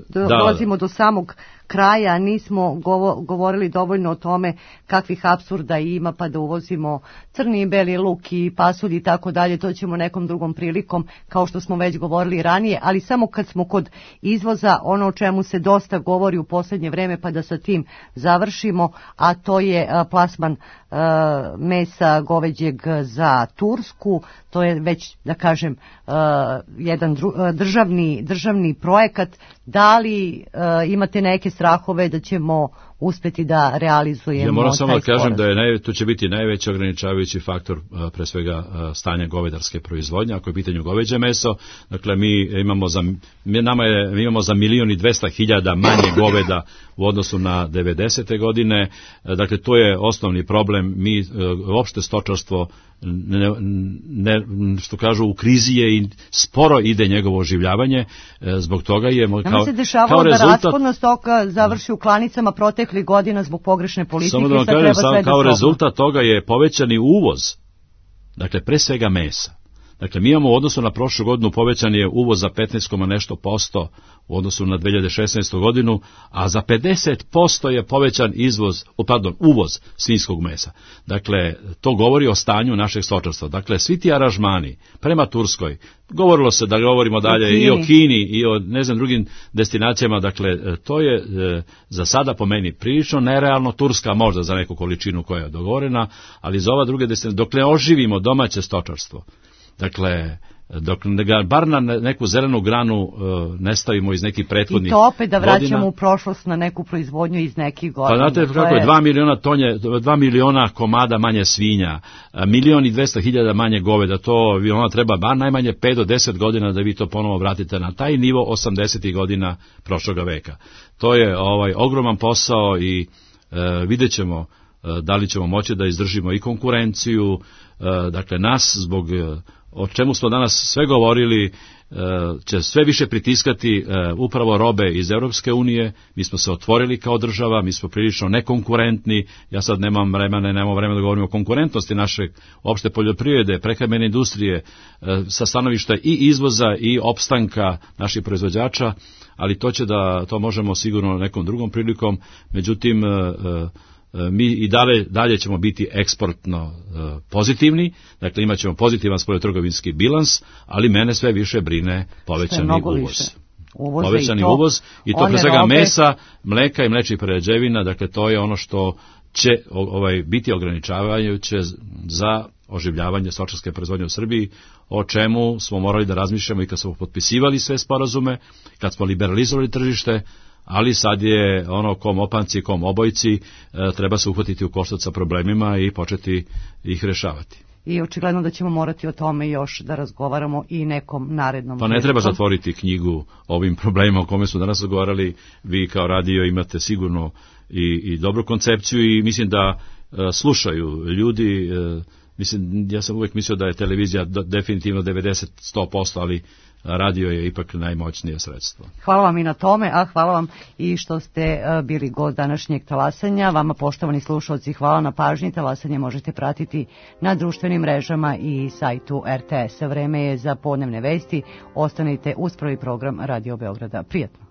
dolazimo do samog kraja, nismo govorili dovoljno o tome kakvih apsurda ima, pa da uvozimo crni i beli luk i pasulj i tako dalje, to ćemo nekom drugom prilikom, kao što smo već govorili ranije, ali samo kad smo kod izvoza, ono o čemu se dosta govori u posljednje vreme, pa da sa tim završimo, a to je plasman mesa goveđeg za Tursku. To je već, da kažem, jedan državni projekat. Da li imate neke strahove da ćemo uspjeti da realizujemo? Ja moram samo da kažem sporazum? da tu će biti najveći ograničavajući faktor pre svega stanja govedarske proizvodnje, ako je pitanje goveđe meso. Dakle, mi imamo za 1.200.000 manje goveda u odnosu na 90. godine. Dakle, to je osnovni problem. Mi uopšte stočarstvo što kažu u krizi je i sporo ide njegovo oživljavanje, zbog toga je Nama se dešavalo da rasplodna stoka završi u klanicama proteklih godina zbog pogrešne politike. Samo da vam kažem, kao rezultat toga je povećani uvoz, dakle pre svega mesa. Dakle, mi imamo u odnosu na prošlu godinu povećan je uvoz za 15, nešto posto u odnosu na 2016. godinu, a za 50% je povećan uvoz svinjskog mesa. Dakle, to govori o stanju našeg stočarstva. Dakle, svi ti aranžmani prema Turskoj, govorilo se da govorimo dalje i o Kini i o drugim destinacijama, dakle, to je za sada po meni prilično nerealno. Turska možda za neku količinu koja je dogovorena, ali za ova druge destinacije, dok ne oživimo domaće stočarstvo, dakle, dok ga bar na neku zelenu granu ne stavimo iz nekih prethodnih godina. I to opet da vraćamo u prošlost na neku proizvodnju iz nekih godina. Pa znate kako je 2 miliona komada manje svinja, 1.200.000 manje goveda, to ona treba bar najmanje 5 do 10 godina da vi to ponovo vratite na taj nivo 80. godina prošloga veka. To je ogroman posao i vidjet ćemo da li ćemo moći da izdržimo i konkurenciju, dakle nas zbog o čemu smo danas sve govorili, će sve više pritiskati upravo robe iz Europske unije. Mi smo se otvorili kao država, mi smo prilično nekonkurentni. Ja sad nemam vremena da govorim o konkurentnosti našeg opšte poljoprivrede, prehrambene industrije, sa stanovišta i izvoza i opstanka naših proizvođača, ali to možemo sigurno nekom drugom prilikom. Međutim, mi i dalje ćemo biti eksportno pozitivni, dakle imat ćemo pozitivan spoljnotrgovinski bilans, ali mene sve više brine povećani uvoz. Povećani uvoz i to pre svega mesa, mleka i mlečnih prerađevina, dakle to je ono što će biti ograničavajuće za oživljavanje stočarske proizvodnje u Srbiji, o čemu smo morali da razmišljamo i kad smo potpisivali sve sporazume, kad smo liberalizovali tržište, ali sad je kom opanci, kom obojci, treba se uhvatiti u koštac sa problemima i početi ih rešavati. I očigledno da ćemo morati o tome još da razgovaramo i nekom narednom. Pa ne treba zatvoriti knjigu ovim problemima o kome smo danas razgovarali. Vi kao radio imate sigurno i dobru koncepciju i mislim da slušaju ljudi Mislim, ja sam uvijek mislio da je televizija definitivno 90-100%, ali radio je ipak najmoćnije sredstvo. Hvala vam i na tome, a hvala vam i što ste bili gost današnjeg talasanja. Vama, poštovani slušalci, hvala na pažnji. Talasanje možete pratiti na društvenim mrežama i sajtu RTS. Vreme je za podnevne vesti. Ostanite uz prvi program Radio Beograda. Prijatno.